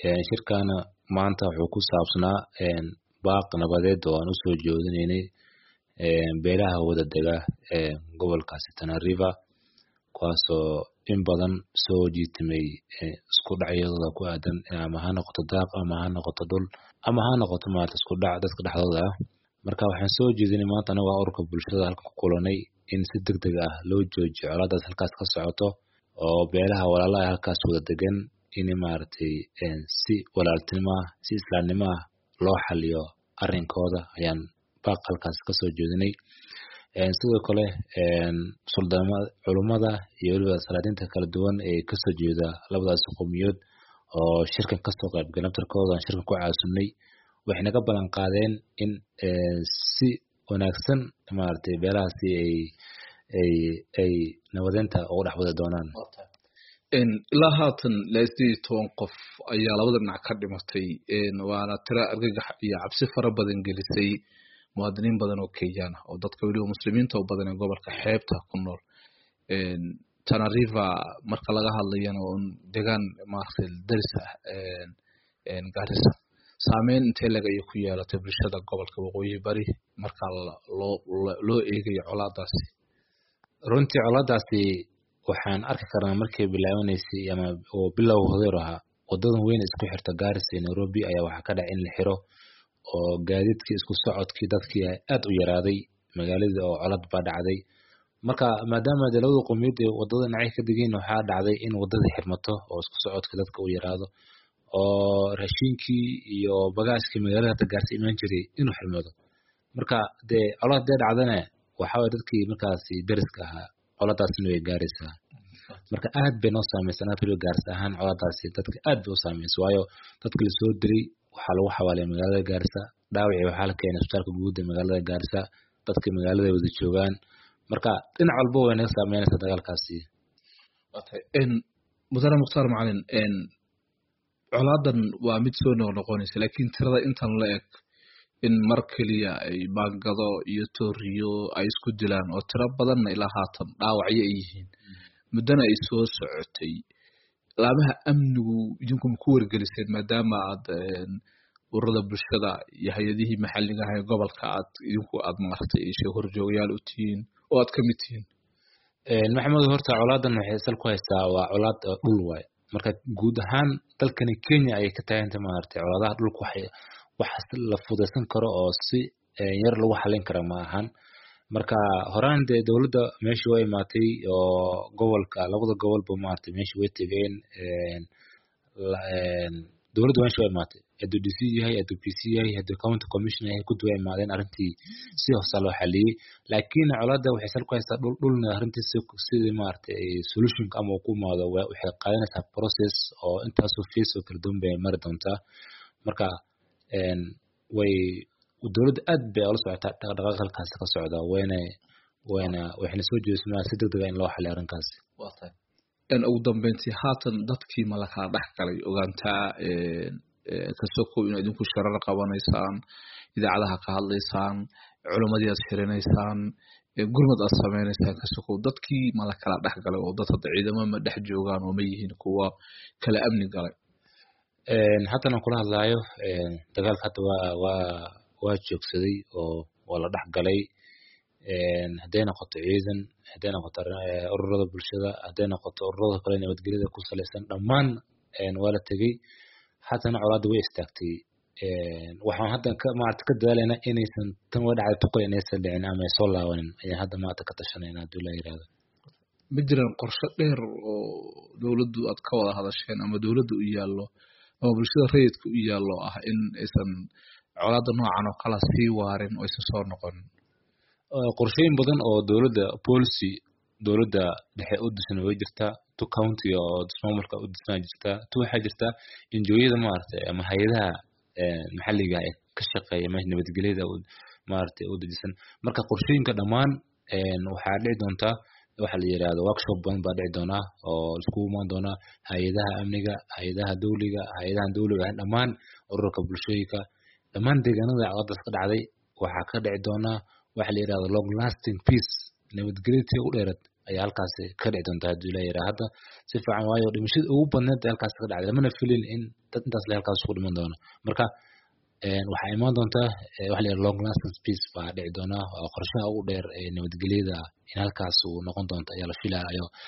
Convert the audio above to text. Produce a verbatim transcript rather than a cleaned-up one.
Shirkana maanta wuxuu ku saabsanaa baaq nabadeed oo aan usoo jeedinaynay beelaha wada dega gobolkaasi Tana River, kuwaasoo in badan soo jiitamay isku dhacyadooda ku aadan, ama ha noqoto daaq ama ha noqoto dhul ama ha noqoto maarata isku dhac dadka dhexdooda ah. Marka waxaan soo jeedinay maanta anagoo ururka bulshada halkan ku kulanay in si degdeg ah loo joojiyo colaadaas halkaas ka socoto, oo beelaha walaalaha halkaas wada degan in maaragtay si walaaltinimo ah, si islaamnimo ah loo xaliyo arrinkooda ayaan baaq halkaas kasoo jeedinay. Sidoo kale suldaamada, culummada iyo weliba salaadiinta kala duwan ee kasoo jeeda labadaas qowmiyood oo shirkan kasoo qayb galay naftarkooda aan shirkan ku caasunay, waxay naga ballan qaadeen in si wanaagsan maaragtay beelahaasi ay ay ay nabadeynta ugu dhex wadi doonaan. Ilaa haatan ilaa sideed iyo toban qof ayaa labada dhinac ka dhimatay, waana tiro argagax iyo cabsi fara badan gelisay muwaadiniin badan oo Kenyaan ah oo dadka weliba muslimiinta oo badan ee gobolka xeebta ku nool. Tana River marka laga hadlayana waa un degaan maaragtay daris ah Garissa. Saameyn intee leg ayay ku yeelatay bulshada gobolka waqooyi bari marka loo loo eegayo colaadaasi? Runtii colaadaasi waxaan arki karnaa markay bilaabanaysay ama oo bilowga hodeer ahaa, wadadan weyn isku xirta Garissa iyo Nairobi ayaa waxaa ka dhacay in la xiro oo gaadiidkii isku socodkii dadkii aad u yaraaday magaaladii oo colad baa dhacday. Marka maadaama dee labada qowmiyad ee wadada dhinacyo ka degeen, waxaa dhacday in wadada xirmato oo isku socodka dadka u yaraado, oo raashinkii iyo bagaashkii magaalada hata Gaarisa imaan jiray inuu xirmado. Marka dee colad dee dhacdana waxaa waye dadkii markaasi dariska ahaa coladaasina way gaaraysaa. Marka aad bay noo saameysay anaga weliba Gaarisa ahaan, coladaasi dadka aad bay u saameysay, waayo dadka lasoo diray waxaa lagu xawaalay magaalada Gaarisa, dhaawacii waxaa la keenay isbitaalka guud ee magaalada Gaarisa, dadka magaalada wada joogaan. Marka dhinac walba way naga saameynaysaa dagaalkaasi. Mudane Mukhtaar Macalin, colaadan waa mid soo noqnoqonaysa, laakiin tirada intan la eg in mar keliya ay baangado iyo tooriyo ay isku dilaan oo tiro badanna ilaa haatan dhaawacyo ay yihiin, muddana ay soo socotay, laamaha amnigu idinku ma ku wargeliseen maadaama aad ururada bulshada iyo hay-adihii maxalliga ah ee gobolka aad idinku aad maaragtay ishe horjoogayaal u tihiin oo aad ka mid tihiin? Maxamed, horta colaadan waxay sal ku haystaa waa colaad dhul waay. Marka guud ahaan dalkani Kenya ayay ka taaganta maaragtay colaadaha dhulka, waxay wax la fudaysan karo oo si yar lagu xalin karo ma ahan. Marka horaan dee dowladda meesha way imaatay oo gobolka labada gobolba maaragtay meesha way tegeen. Dowladda meesha way imaatay, hadduu D C yahay, hadduu P C yahay, hadduu county commissioner yahay, kuddi way imaadeen, arrintii si hoosa loo xaliyey. Laakiin colaadda waxay sal ku haystaa dhul, dhulna arrintii si sidii maaragtay solutionka ama uu ku imaado waxay qaadanaysaa process oo intaasoo phase oo kala duwan bay mari doontaa. Marka way dowladda aad bay ula socotaa dhaqdhaqaaqa halkaas ka socda, wayna wayna waxayna soo jeedismaa si degdeg ah in loo xaliyo arrinkaasi. Waa tahay. Ugu dambeyntii haatan dadkii ma la kala dhex galay ogaantaa kasoo kow inaad idinku shirar qabanaysaan, idaacadaha ka hadlaysaan, culimmadii aad shirinaysaan, gurmad aad sameynaysaan, kasoo kow dadkii ma la kala dhex galay oo dad hadda ciidamo ma dhex joogaan oo ma yihiin kuwa kala amni galay? Haatan aan kula hadlaayo dagaalka hadda waa waa waa joogsaday oo waa la dhex galay. Hadday noqoto ciidan, hadday noqoto ururada bulshada, hadday noqoto ururada kale nabadgelyada ku salaysan, dhammaan waa la tegey. Haatana colaadda way istaagtay. Waxaan hadda ka maarata ka dadaalaynaa inaysan tan way dhacday tuqay inaysan dhicin ama ay soo laabanin ayaan hadda maarata ka tashanayna haddii la yiraahdo. Ma jiraan qorshe dheer oo dowladdu aad ka wada hadasheen ama dowladda u yaallo ama bulshada rayidka u yaallo ah in aysan colaadda noocan oo kala sii waarin oo aysan soo noqonin? Qorshooyin badan oo dowladda policy dowladda dhexe u disan way jirtaa, tu county oo maamulka u disnaa jirtaa, tu waxaa jirta N G O-yada maaragtay ama hay-adaha maxalliga ee ka shaqeeya meesha nabadgelyada maaragtay u dejisan. Marka qorshooyinka dhammaan waxaa dhici doontaa waxa la yiraahdo workshop badan baa dhici doonaa oo iskugu imaan doonaa hay-adaha amniga, hay-adaha dowliga, hay-adaha dowliga ahayn, dhammaan ururka bulshooyinka, dhammaan deegaanada colaadaas ka dhacday. Waxaa ka dhici doonaa waxa la yirahdo long lasting peace, nabadgelyo tii ugu dheeraad ayaa halkaasi ka dhici doonta hadduu ilaa yaraa hadda si fiican, waayo dhimashada ugu badneed ee halkaas ka dhacday lamana filin in dad intaas le halkaas ku dhiman doono. Marka waxaa imaan doonta waxa la yidhaha long lasting peace baa dhici doona, waa qorshaha ugu dheer ee nabadgelyada in halkaas uu noqon doonto ayaa la filayo.